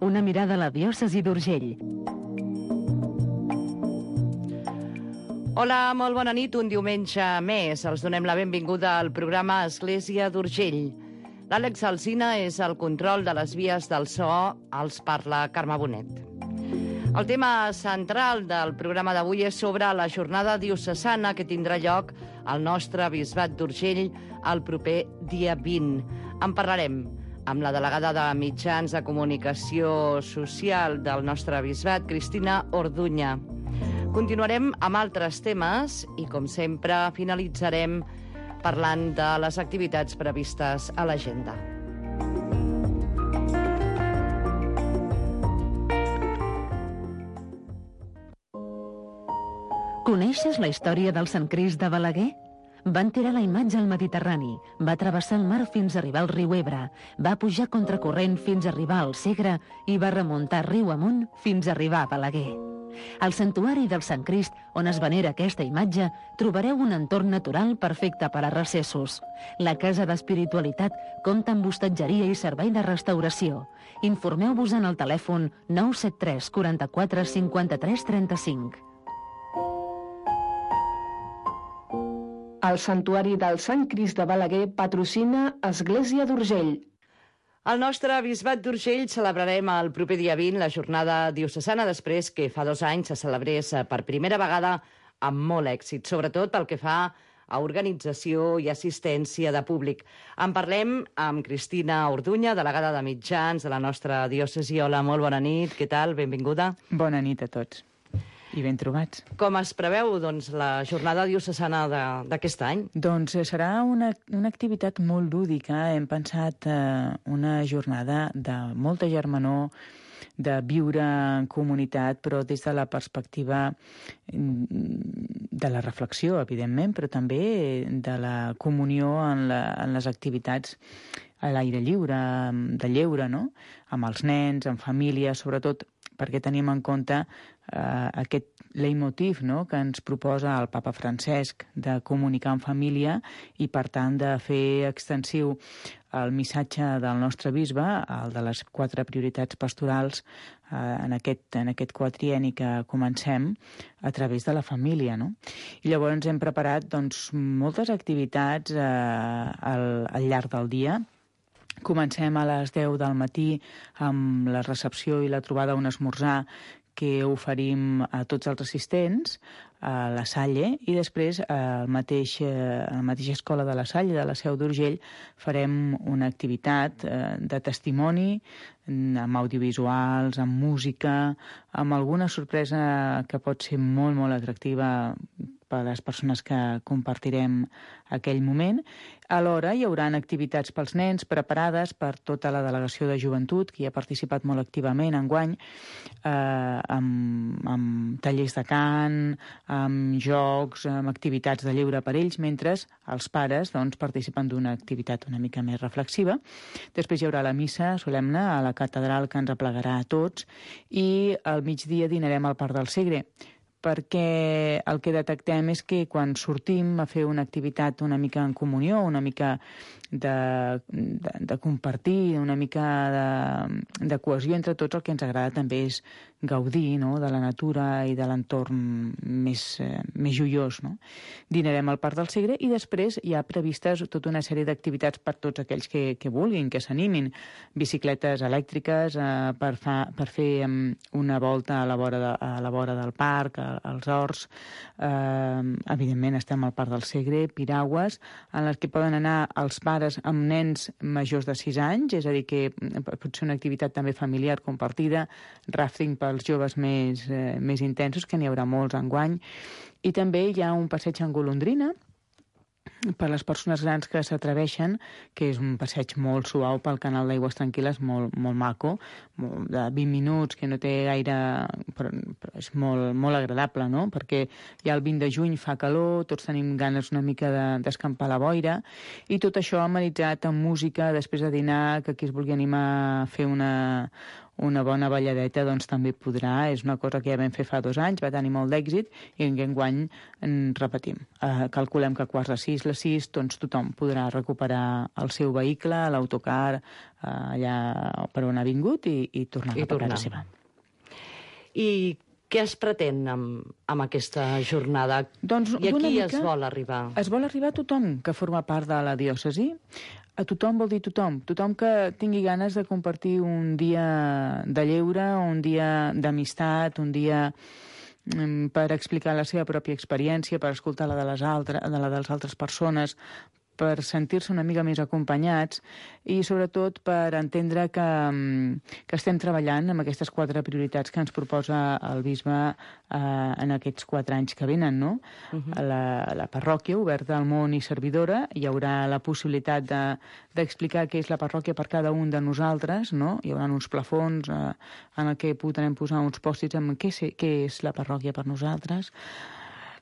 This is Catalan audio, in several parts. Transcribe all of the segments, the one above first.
una mirada a la diòcesi d'Urgell. Hola, molt bona nit. Un diumenge més. Els donem la benvinguda al programa Església d'Urgell. L'Àlex Alsina és el control de les vies del so. Els parla Carme Bonet. El tema central del programa d'avui és sobre la jornada diocesana que tindrà lloc al nostre bisbat d'Urgell el proper dia 20. En parlarem amb la delegada de Mitjans de Comunicació Social del nostre bisbat, Cristina Orduña. Continuarem amb altres temes i, com sempre, finalitzarem parlant de les activitats previstes a l'agenda. Coneixes la història del Sant Crist de Balaguer? Van tirar la imatge al Mediterrani, va travessar el mar fins a arribar al riu Ebre, va pujar contracorrent fins a arribar al Segre i va remuntar riu amunt fins a arribar a Balaguer. Al santuari del Sant Crist, on es venera aquesta imatge, trobareu un entorn natural perfecte per a recessos. La Casa d'Espiritualitat compta amb hostatgeria i servei de restauració. Informeu-vos en el telèfon 973 44 53 35. El Santuari del Sant Crist de Balaguer patrocina Església d'Urgell. Al nostre bisbat d'Urgell celebrarem el proper dia 20 la jornada diocesana, després que fa 2 anys se celebrés per primera vegada amb molt èxit, sobretot pel que fa a organització i assistència de públic. En parlem amb Cristina Orduña, delegada de Mitjans de la nostra diòcesi. Hola, molt bona nit, què tal? Benvinguda. Bona nit a tots i ben trobats. Com es preveu la jornada diocesana d'aquest any? Doncs serà una activitat molt lúdica. Hem pensat una jornada de molta germanor, de viure en comunitat, però des de la perspectiva de la reflexió, evidentment, però també de la comunió en les activitats a l'aire lliure, de lleure, no? Amb els nens, amb famílies, sobretot perquè tenim en compte aquest leitmotiv, no?, que ens proposa el papa Francesc de comunicar en família i, per tant, de fer extensiu el missatge del nostre bisbe, el de les 4 prioritats pastorals en aquest quatrienni que comencem a través de la família, no? I llavors hem preparat moltes activitats al llarg del dia. Comencem a les 10 del matí amb la recepció i la trobada a un esmorzar que oferim a tots els assistents a la Salle, i després a la mateixa escola de la Salle, de la Seu d'Urgell, farem una activitat de testimoni amb audiovisuals, amb música, amb alguna sorpresa que pot ser molt, molt atractiva per a les persones que compartirem aquell moment. Alhora hi haurà activitats pels nens preparades per tota la delegació de joventut, que hi ha participat molt activament enguany, amb tallers de cant, amb jocs, amb activitats de lleure per ells, mentre els pares participen d'una activitat una mica més reflexiva. Després hi haurà la missa solemne a la catedral que ens aplegarà a tots, i al migdia dinarem al Parc del Segre, perquè el que detectem és que quan sortim a fer una activitat una mica en comunió, una mica de compartir, una mica de cohesió entre tots, el que ens agrada també és gaudir, no?, de la natura i de l'entorn més joiós, no? Dinarem al Parc del Segre i després hi ha previstes tota una sèrie d'activitats per tots aquells que vulguin, que s'animin. Bicicletes elèctriques per fer una volta a la vora del parc, als horts. Evidentment estem al Parc del Segre, piragües, en les que poden anar els pares amb nens majors de 6 anys, és a dir, que pot ser una activitat també familiar compartida, rafting pels joves més intensos, que n'hi haurà molts enguany, i també hi ha un passeig en golondrina per les persones grans que s'atreveixen, que és un passeig molt suau pel canal d'Aigües Tranquil·les, molt, molt maco, de 20 minuts, que no té gaire... però és molt, molt agradable, no?, perquè ja el 20 de juny fa calor, tots tenim ganes una mica d'escampar la boira, i tot això amenitzat amb música després de dinar, que qui es vulgui animar a fer una una bona balladeta doncs també podrà. És una cosa que ja vam fer fa 2 anys, va tenir molt d'èxit, i enguany en repetim. Calculem que a 5:45, les 6, doncs tothom podrà recuperar el seu vehicle, l'autocar, allà per on ha vingut i tornar cap a casa seva. I què es pretén amb aquesta jornada? Doncs, I aquí es vol arribar? Es vol arribar a tothom que forma part de la diòcesi. A tothom vol dir tothom. Tothom que tingui ganes de compartir un dia de lleure, un dia d'amistat, un dia per explicar la seva pròpia experiència, per escoltar la de les altres persones, per sentir-se una mica més acompanyats i, sobretot, per entendre que estem treballant amb aquestes 4 prioritats que ens proposa el bisbe en aquests 4 anys que venen, no? La parròquia oberta al món i servidora, hi haurà la possibilitat d'explicar què és la parròquia per cada un de nosaltres, no? Hi haurà uns plafons en què podrem posar uns pòstits amb què és la parròquia per nosaltres,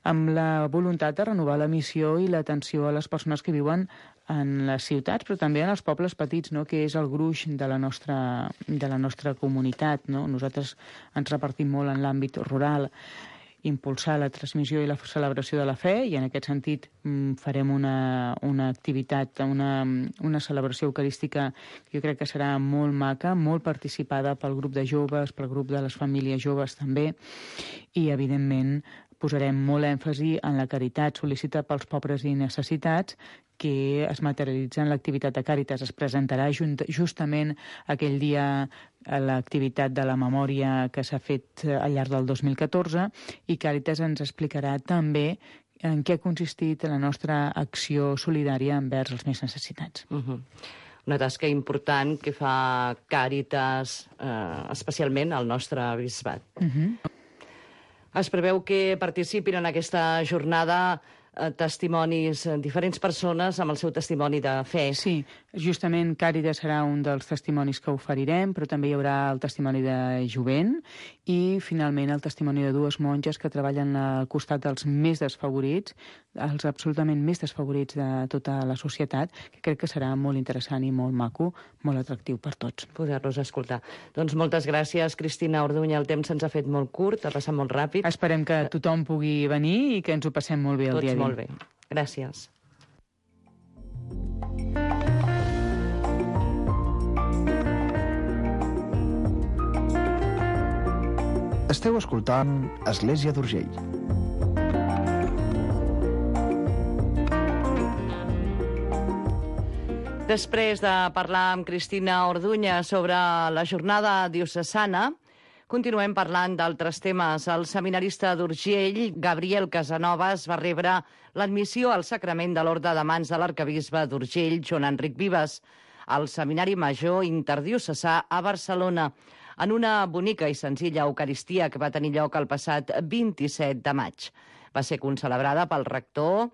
amb la voluntat de renovar la missió i l'atenció a les persones que viuen en les ciutats, però també en els pobles petits, no?, que és el gruix de la nostra comunitat, no? Nosaltres ens repartim molt en l'àmbit rural, impulsar la transmissió i la celebració de la fe, i en aquest sentit farem una activitat, una celebració eucarística que jo crec que serà molt maca, molt participada pel grup de joves, pel grup de les famílies joves també, i evidentment posarem molt èmfasi en la caritat sol·lícita pels pobres i necessitats, que es materialitza en l'activitat de Càritas. Es presentarà justament aquell dia l'activitat de la memòria que s'ha fet al llarg del 2014, i Càritas ens explicarà també en què ha consistit la nostra acció solidària envers els més necessitats. Una tasca important que fa Càritas, especialment al nostre bisbat. Es preveu que participin en aquesta jornada testimonis, diferents persones amb el seu testimoni de fe. Sí, justament Càritas serà un dels testimonis que oferirem, però també hi haurà el testimoni de jovent i, finalment, el testimoni de 2 monges que treballen al costat dels més desfavorits, els absolutament més desfavorits de tota la societat, que crec que serà molt interessant i molt maco, molt atractiu per tots. Poder-los escoltar. Doncs moltes gràcies, Cristina Orduña. El temps se'ns ha fet molt curt, ha passat molt ràpid. Esperem que tothom pugui venir i que ens ho passem molt bé el dia a dia. Molt bé. Gràcies. Esteu escoltant Església d'Urgell. Després de parlar amb Cristina Orduña sobre la jornada diocesana, continuem parlant d'altres temes. El seminarista d'Urgell, Gabriel Casanovas, va rebre l'admissió al sacrament de l'Orde de Mans de l'arcabisbe d'Urgell, Joan Enric Vives, al Seminari Major Interdiocesà a Barcelona, en una bonica i senzilla eucaristia que va tenir lloc el passat 27 de maig. Va ser concelebrada pel rector,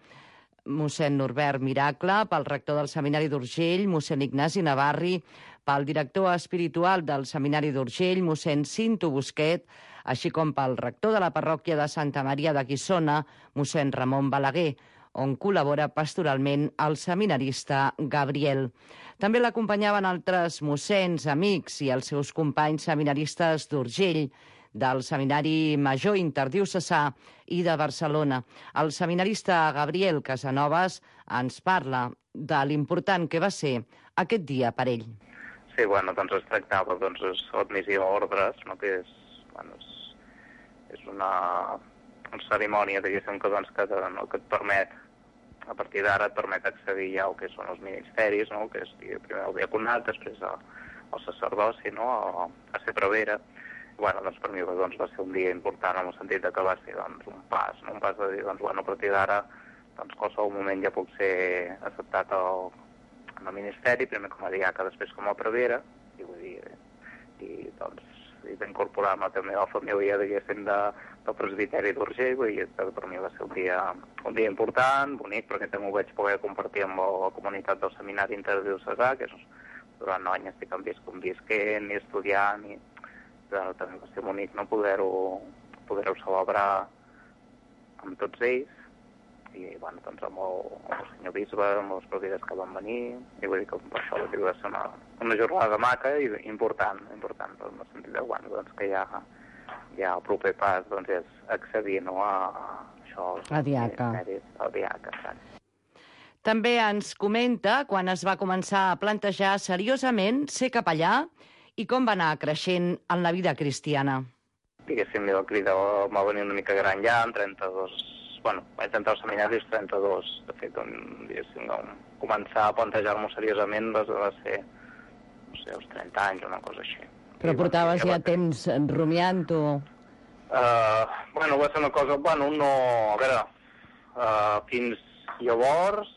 mossèn Norbert Miracle, pel rector del Seminari d'Urgell, mossèn Ignasi Navarri, pel director espiritual del Seminari d'Urgell, mossèn Cinto Busquet, així com pel rector de la parròquia de Santa Maria de Guissona, mossèn Ramon Balaguer, on col·labora pastoralment el seminarista Gabriel. També l'acompanyaven altres mossèns, amics i els seus companys seminaristes d'Urgell, del Seminari Major Interdiocesà i de Barcelona. El seminarista Gabriel Casanovas ens parla de l'important que va ser aquest dia per ell. Sí, bueno, doncs es tractava l'admissió a ordres, no? Que és una cerimònia, diguéssim, que et permet, a partir d'ara et permet accedir ja al que són els ministeris, no? Que és primer el diaconat, després el sacerdoci, no? A ser prevera. Bueno, doncs per mi va ser un dia important en el sentit que va ser un pas, no? Un pas de dir, a partir d'ara, qualsevol moment ja puc ser acceptat en el ministeri, primer com a diaca, després com a prevera, i vull dir, i d'incorporar-me també a la família, diguéssim, del presbiteri d'Urgell, vull dir, que per mi va ser un dia important, bonic, perquè també ho vaig poder compartir amb la comunitat del Seminari Interdiocesà, que durant anys estic convisquent i estudiant, i també va ser bonic, no, poder-ho celebrar amb tots ells, i bueno, doncs amb el senyor bisbe, amb les propiedades que van venir, i vull dir que per això va ser una jornada maca i important, en el sentit de, bueno, doncs que ja el proper pas doncs, és accedir, no, a això, a diaca. Al diaca, exacte. També ens comenta quan es va començar a plantejar seriosament ser capellà i com va anar creixent en la vida cristiana. Diguéssim, el crida va venir una mica gran ja, amb 32... Bueno, vaig entrar al seminari als 32. De fet, diguéssim, començar a plantejar-m'ho seriosament va ser, no sé, als 30 anys, una cosa així. Però portaves ja temps rumiant-ho? Bueno, va ser una cosa... Bueno, no... A veure, fins llavors...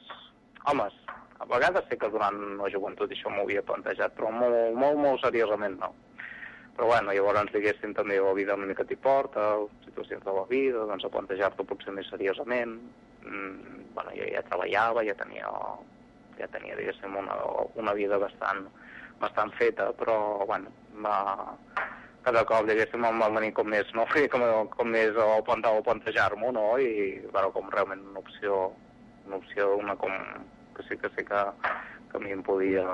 Home, a vegades sé que durant la joventut això m'ho havia plantejat, però molt seriosament no. Però bueno, llavors, diguéssim, també la vida una mica t'hi porta, situacions de la vida, doncs a plantejar-t'ho potser més seriosament. Bueno, jo ja treballava, ja tenia diguéssim, una vida bastant feta, però, bueno, cada cop, diguéssim, em va venir com més, no? Com més a plantejar-m'ho, no? I, bueno, com realment una opció, que sí que a mi em podia...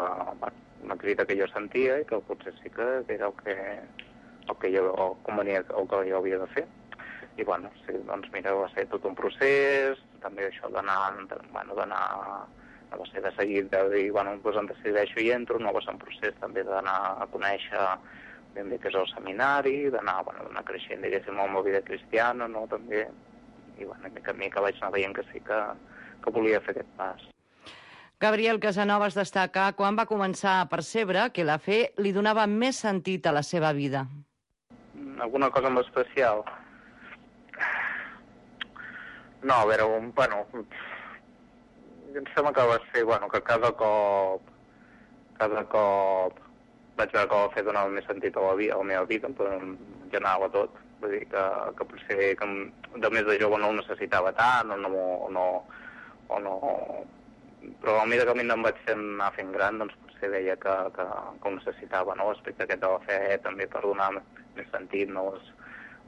una crida que jo sentia i que potser sí que era el que jo convenia, el que jo havia de fer. I bueno, sí, doncs mira, va ser tot un procés, també això d'anar, no va ser de seguir, de dir, bueno, doncs em decideixo i entro, no va ser un procés també d'anar a conèixer ben bé què és el seminari, d'anar creixent, diguéssim, amb la vida cristiana, no, també, i bueno, mica en mica vaig anar veient que sí que volia fer aquest pas. Gabriel Casanovas destaca quan va començar a percebre que la fe li donava més sentit a la seva vida. Alguna cosa en especial? No, a veure, bueno, em sembla que va ser, bueno, que cada cop vaig veure que la fe donava més sentit a la meva vida, però en general a tot. Vull dir que potser que de més de jove no ho necessitava tant, o no... Però a mesura que em vaig anar fent gran, doncs potser veia que ho necessitava, no? L'aspecte aquest de la fe també per donar més sentit, no?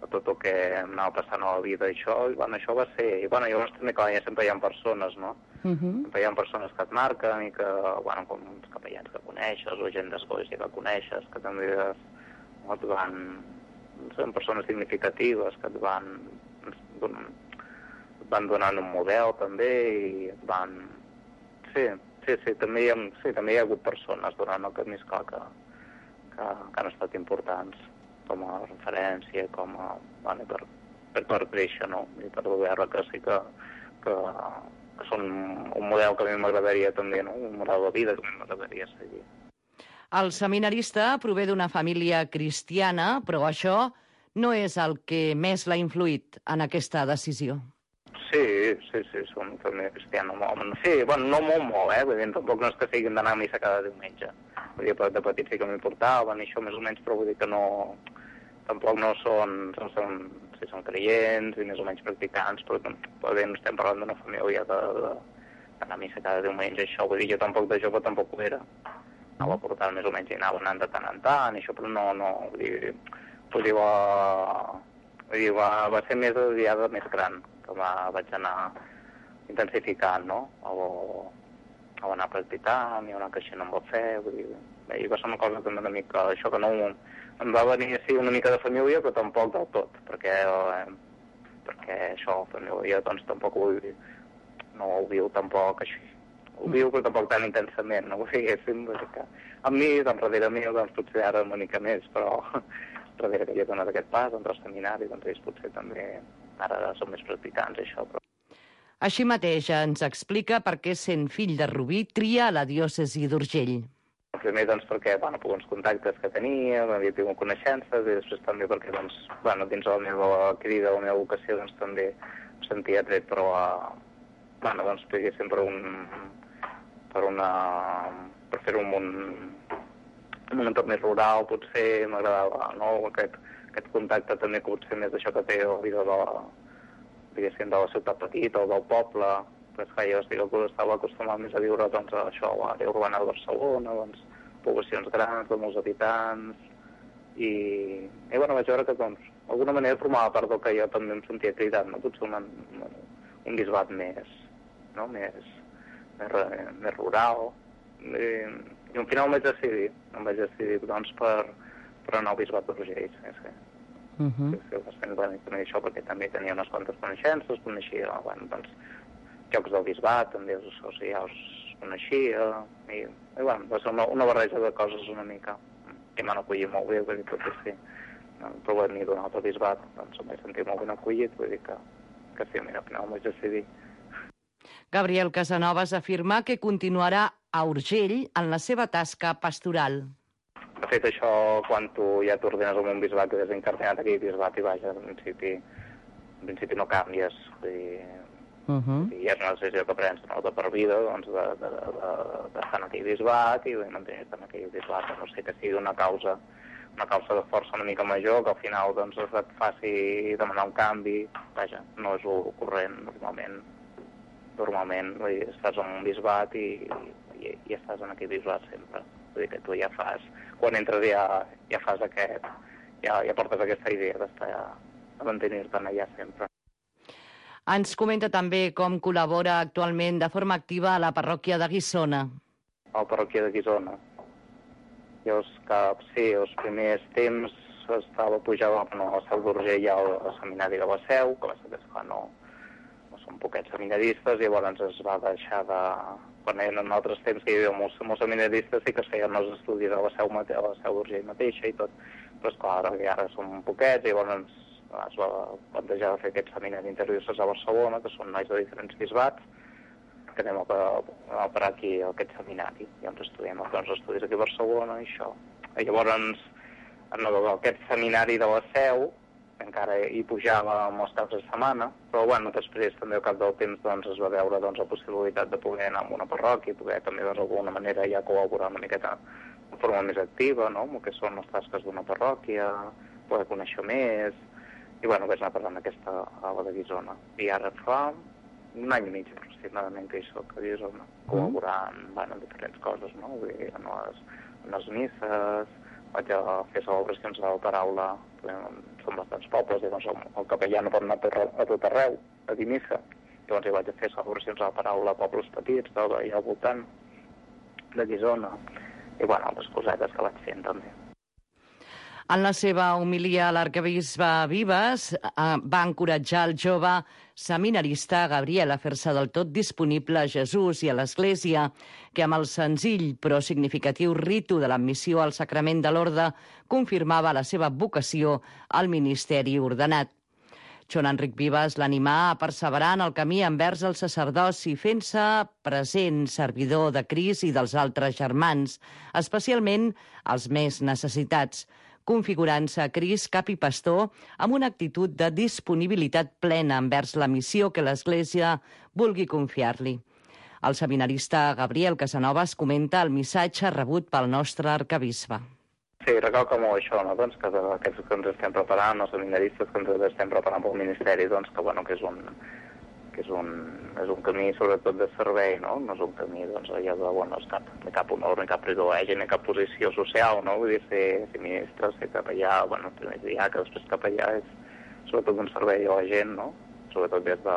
A tot el que em anava passant a la vida, això va ser... I bueno, llavors també, clar, ja sempre hi ha persones, no? Sempre hi ha persones que et marquen i que, bueno, com uns capellans que coneixes o gent d'església que coneixes, que també et van... Són persones significatives que et van donant un model també i et van... Sí, també hi ha hagut persones durant el camí, esclar, que han estat importants com a referència, bueno, per créixer, no? I per veure que sí que són un model que a mi m'agradaria també, no? Un model de vida que a mi m'agradaria seguir. El seminarista prové d'una família cristiana, però això no és el que més l'ha influït en aquesta decisió. Sí, som una família cristiana. Sí, bueno, no molt, vull dir, tampoc no és que siguin d'anar a missa cada diumenge. Vull dir, de petit sí que m'importaven i això més o menys, però vull dir que no... Tampoc no són creients i més o menys practicants, però bé, no estem parlant d'una família d'anar a missa cada diumenge, això, vull dir, jo tampoc de jove tampoc ho era. Anava a portar més o menys i anava anant de tant en tant, i això, però no, vull dir, va ser més de diada més gran, que vaig anar intensificant, no? O anar practicant i anar creixent amb la fe, vull dir... I va ser una cosa també una mica... Això que no... Em va venir així una mica de família, però tampoc del tot, perquè això, família, doncs tampoc no ho viu tampoc així. Ho viu, però tampoc tan intensament, no ho diguéssim, perquè amb mi, doncs darrere meu, doncs potser ara una mica més, però darrere que jo he donat aquest pas, doncs al seminari, doncs ells potser també ara són més practicants, això, però... Així mateix ens explica per què, sent fill de Rubí, tria la diòcesi d'Urgell. Primer, doncs, perquè, bueno, per uns contactes que tenia, havia tingut coneixences, i després també perquè, doncs, bueno, dins la meva crida, la meva vocació, doncs, també em sentia tret, però, bueno, doncs, diguéssim, per fer-ho en un entorn més rural, potser m'agradava, no?, aquest contacte també, que potser més d'això que té la vida diguéssim, de la ciutat petita o del poble, però és que jo estava acostumat més a viure, doncs, a això, a l'àrea urbana de Barcelona, doncs, poblacions grans, de molts habitants, i bueno, vaig veure que, doncs, d'alguna manera formava part del que jo també em sentia cridat, no? Potser un bisbat més, no? més rural. I al final em vaig decidir doncs, per anar al bisbat d'Urgell. Sí. També això, perquè també tenia unes quantes coneixences, coneixia doncs, jocs del bisbat, també els associats coneixia, i va ser una barreja de coses una mica que m'han acollit molt bé, vull dir que sí, però venir d'un altre bisbat, doncs em vaig sentir molt ben acollit, vull dir que sí, mira, al final em vaig decidir. Gabriel Casanovas afirma que continuarà a Urgell en la seva tasca pastoral. De fet, això, quan tu ja t'ordenes amb un bisbat que és incardinat aquí, bisbat, i vaja, en principi no canvies, vull dir, i és una decisió que prens de per vida, doncs, d'estar en aquell bisbat i mantenir-te en aquell bisbat, no sé, que sigui una causa de força una mica major, que al final doncs, et faci demanar un canvi, vaja, no és el corrent, normalment vull dir, estàs en un bisbat i estàs en aquell bisbat sempre, vull dir que tu ja fas, quan entres ja fas aquest, ja portes aquesta idea d'estar a mantenir-te allà sempre. Ens comenta també com col·labora actualment de forma activa a la parròquia de Guissona. A la parròquia de Guissona. Jo, els primers temps pujava a la Seu d'Urgell al seminari de la Seu, que va ser que no són poquets seminaristes, i llavors es va deixar de... Quan eren altres temps que hi havia molts seminaristes, sí que es feien els estudis a la Seu d'Urgell mateixa i tot, però esclar, ara som poquets, i llavors es va plantejar de fer aquest seminari interdiocesà a Barcelona, que són nois de diferents bisbats, que anem a parar aquí a aquest seminari. Llavors estudiem els estudis aquí a Barcelona i això. I llavors, en aquest seminari de la Seu, encara hi pujava molts caps de setmana, però després també al cap del temps es va veure la possibilitat de poder anar a una parròquia i poder també d'alguna manera ja col·laborar una miqueta de forma més activa, no?, amb el que són les tasques d'una parròquia, poder conèixer més. I vaig anar parlant aquesta a la de Guissona. I ara fa un any i mig aproximadament que hi soc a Guissona, col·laborant en diferents coses, no? Vull dir, en les misses, vaig a fer celebracions de la paraula, són bastants pobles, i el capellà no pot anar a tot arreu a dir missa. Llavors hi vaig a fer celebracions de la paraula a pobles petits, allà al voltant de Guissona, i altres cosetes que vaig fent també. En la seva homilia, l'arquebisbe Vives va encoratjar el jove seminarista Gabriel a fer-se del tot disponible a Jesús i a l'Església, que amb el senzill però significatiu ritu de l'admissió al sacrament de l'orde confirmava la seva vocació al ministeri ordenat. Joan Enric Vives l'animà a perseverar en el camí envers el sacerdoci, fent-se present servidor de Crist i dels altres germans, especialment els més necessitats, configurant-se a Crist cap i pastor amb una actitud de disponibilitat plena envers la missió que l'Església vulgui confiar-li. El seminarista Gabriel Casanovas comenta el missatge rebut pel nostre arquebisbe. Sí, recalca molt això, no? Doncs que aquests que ens estem preparant, els seminaristes que ens estem preparant pel Ministeri, doncs que és un camí sobretot de servei, no? No és un camí allà de cap honor, ni cap privilegi, ni cap posició social, no? Vull dir, ser ministre, ser capellà, primer diaca, després capellà, és sobretot un servei a la gent, no? Sobretot des de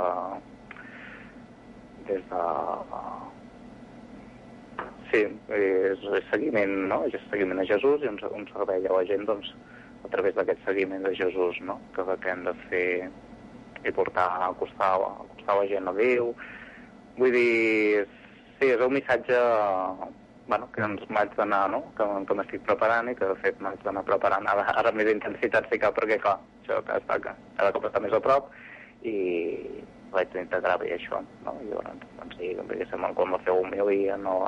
sí, és seguiment, no? És seguiment a Jesús i un servei a la gent, doncs, a través d'aquest seguiment de Jesús, no? Que hem de fer i portar a acostar la gent a Déu. Vull dir, sí, és un missatge que ens m'haig d'anar, no? Que m'estic preparant i que, de fet, m'haig d'anar preparant ara més intensitat, sí que, perquè, clar, això cada cop està més a prop i vaig integrar bé això, no? I llavors, sí, quan va fer homilia, no,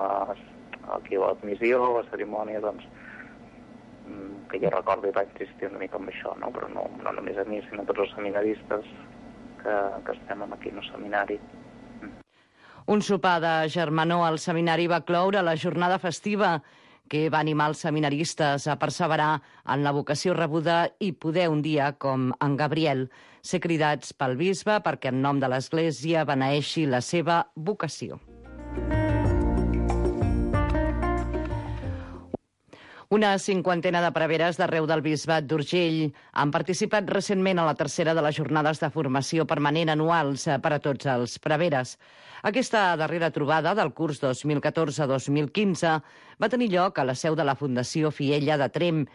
aquí a l'admissió, a la cerimònia, doncs, que jo recordo i vaig insistir una mica amb això, no? Però no només a mi, sinó a tots els seminaristes que estem aquí en el seminari. Un sopar de germanor al seminari va cloure la jornada festiva que va animar els seminaristes a perseverar en la vocació rebuda i poder un dia, com en Gabriel, ser cridats pel bisbe perquè en nom de l'Església beneeixi la seva vocació. Una cinquantena de preveres d'arreu del Bisbat d'Urgell han participat recentment a la tercera de les jornades de formació permanent anuals per a tots els preveres. Aquesta darrera trobada del curs 2014-2015 va tenir lloc a la seu de la Fundació Fiella de Tremp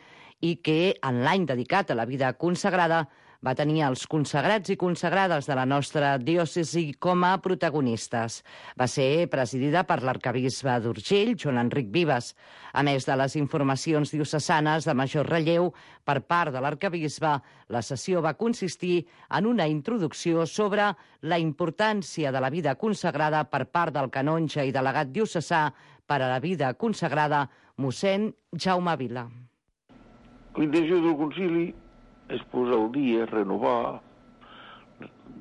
i que, en l'any dedicat a la vida consagrada, va tenir els consagrats i consagrades de la nostra diòcesi com a protagonistes. Va ser presidida per l'arquebisbe d'Urgell, Joan Enric Vives. A més de les informacions diocesanes de major relleu per part de l'arquebisbe, la sessió va consistir en una introducció sobre la importància de la vida consagrada per part del canonge i delegat diocesà per a la vida consagrada, mossèn Jaume Vila. L'intenció del concili és posar al dia, renovar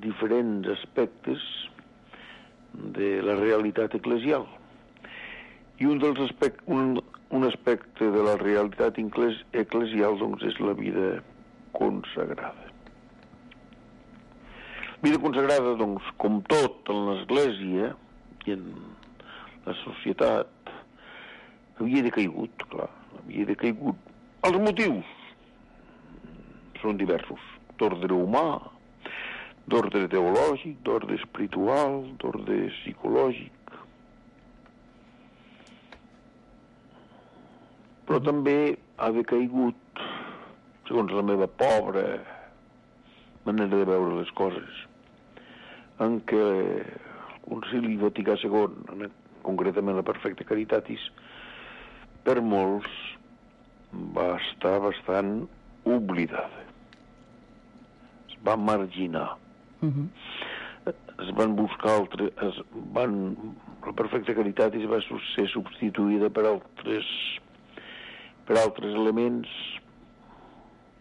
diferents aspectes de la realitat eclesial. I un aspecte de la realitat eclesial doncs, és la vida consagrada. Vida consagrada, doncs, com tot en l'Església i en la societat, havia decaigut, clar, havia decaigut. Els motius són diversos, d'ordre humà, d'ordre teològic, d'ordre espiritual, d'ordre psicològic. Però també ha decaigut, segons la meva pobra manera de veure les coses, en què el Concili Vaticà II, concretament la Perfecta Caritatis, per molts va estar bastant oblidada. Es va marginar. Es van buscar altres... La Perfecta Caritatis va ser substituïda per altres elements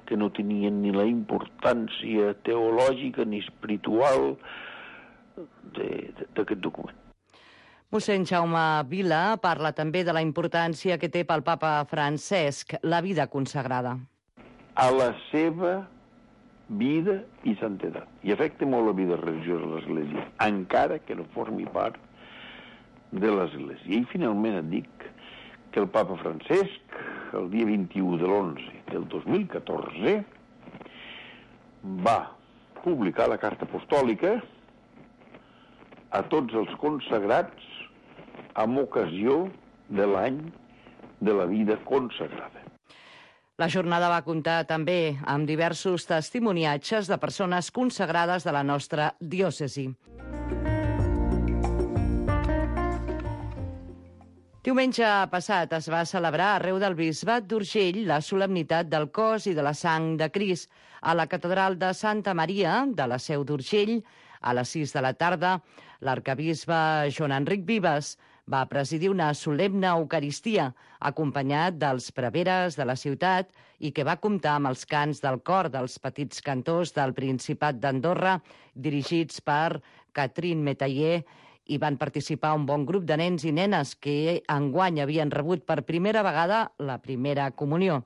que no tenien ni la importància teològica ni espiritual d'aquest document. Mossèn Jaume Vila parla també de la importància que té pel papa Francesc la vida consagrada. A la seva vida i santedat. I afecta molt la vida religiosa de l'Església, encara que no formi part de l'Església. I finalment et dic que el papa Francesc, el dia 21 de l'11 del 2014, va publicar la carta apostòlica a tots els consagrats amb ocasió de l'any de la vida consagrada. La jornada va comptar també amb diversos testimoniatges de persones consagrades de la nostra diòcesi. Diumenge passat es va celebrar arreu del Bisbat d'Urgell la solemnitat del cos i de la sang de Crist a la catedral de Santa Maria de la Seu d'Urgell. A les 6 de la tarda, l'arquebisbe Joan Enric Vives va presidir una solemne eucaristia acompanyat dels preveres de la ciutat i que va comptar amb els cants del cor dels petits cantors del Principat d'Andorra dirigits per Catherine Metayer i van participar un bon grup de nens i nenes que enguany havien rebut per primera vegada la primera comunió.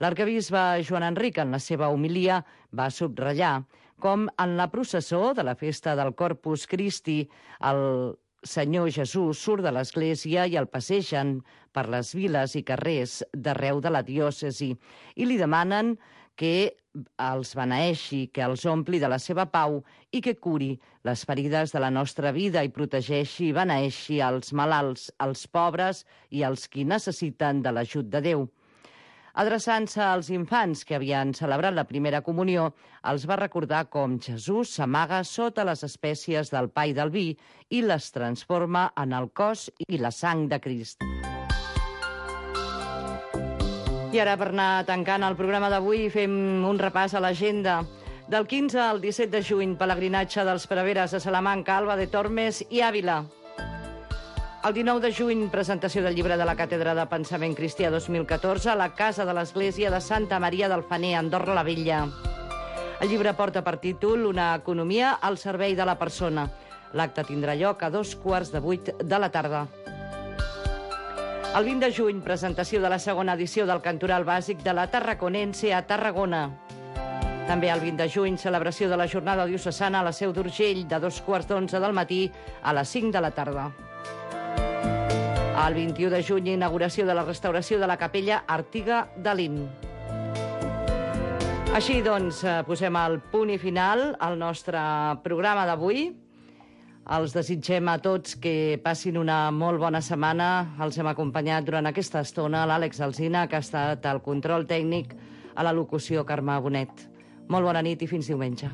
L'arquebisbe Joan Enric, en la seva homilia, va subratllar com en la processó de la festa del Corpus Christi el Senyor Jesús surt de l'església i el passegen per les viles i carrers d'arreu de la diòcesi i li demanen que els beneeixi, que els ompli de la seva pau i que curi les ferides de la nostra vida i protegeixi i beneeixi els malalts, els pobres i els qui necessiten de l'ajut de Déu. Adreçant-se als infants que havien celebrat la primera comunió, els va recordar com Jesús s'amaga sota les espècies del pa i del vi i les transforma en el cos i la sang de Crist. I ara, per anar tancant el programa d'avui, fem un repàs a l'agenda. Del 15 al 17 de juny, pelegrinatge dels preveres a Salamanca, Alba de Tormes i Àvila. El 19 de juny, presentació del llibre de la Càtedra de Pensament Cristià 2014 a la Casa de l'Església de Santa Maria del Faner, Andorra la Vella. El llibre porta per títol Una economia al servei de la persona. L'acte tindrà lloc a 7:15 de la tarda. El 20 de juny, presentació de la segona edició del Cantoral Bàsic de la Tarraconense a Tarragona. També el 20 de juny, celebració de la jornada diocesana a la Seu d'Urgell de 7:15 del matí a les 5 de la tarda. El 21 de juny, inauguració de la restauració de la capella Artiga de Lin. Així, doncs, posem el punt i final al nostre programa d'avui. Els desitgem a tots que passin una molt bona setmana. Els hem acompanyat durant aquesta estona l'Àlex Alsina, que ha estat al control tècnic, a la locució Carme Bonet. Molt bona nit i fins diumenge.